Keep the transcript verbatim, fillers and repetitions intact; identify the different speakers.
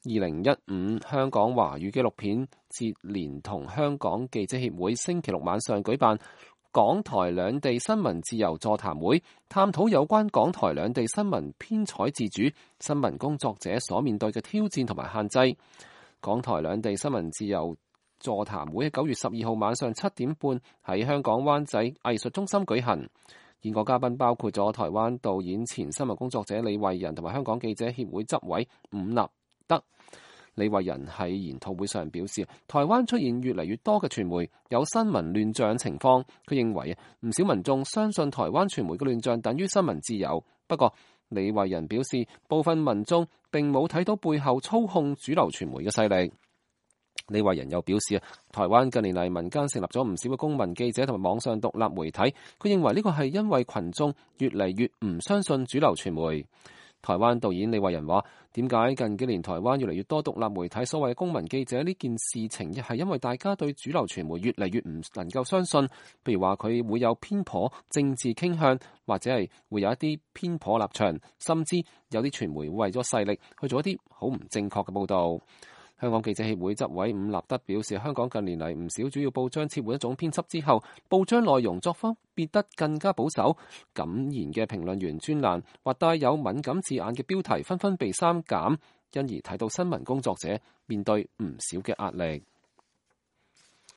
Speaker 1: 二零一五香港華語紀錄片節連同香港記者協會星期六晚上舉辦港台兩地新聞自由座談會，探討有關港台兩地新聞編採自主、新聞工作者所面對嘅挑戰同埋限制。港台兩地新聞自由座談會喺九月十二號晚上七點半喺香港灣仔藝術中心舉行。演講嘉賓包括咗台灣導演、前新聞工作者李惠仁同埋香港記者協會執委伍立德。李惠仁喺研討會上表示，台灣出現越嚟越多嘅傳媒有新聞亂象情況。佢認為唔少民眾相信台灣傳媒嘅亂象等於新聞自由。不過，李惠仁表示，部分民眾並冇睇到背後操控主流傳媒嘅勢力。李惠仁又表示，台灣近年嚟民間成立咗唔少嘅公民記者同埋網上獨立媒體。佢認為呢個係因為群眾越嚟越唔相信主流傳媒。台灣導演李惠仁話，點解近幾年台灣越嚟越多獨立媒體所謂嘅公民記者呢件事情，亦係因為大家對主流傳媒越嚟越唔能夠相信。譬如話佢會有偏頗政治傾向，或者係會有一啲偏頗立場，甚至有啲傳媒會為咗勢力去做一啲好唔正確嘅報導。香港記者協會執委伍立德表示，香港近年嚟唔少主要報章撤換一種編輯之後，報章內容作風變得更加保守，敢言嘅評論員專欄或帶有敏感字眼嘅標題紛紛被刪減，因而睇到新聞工作者面對唔少嘅壓力。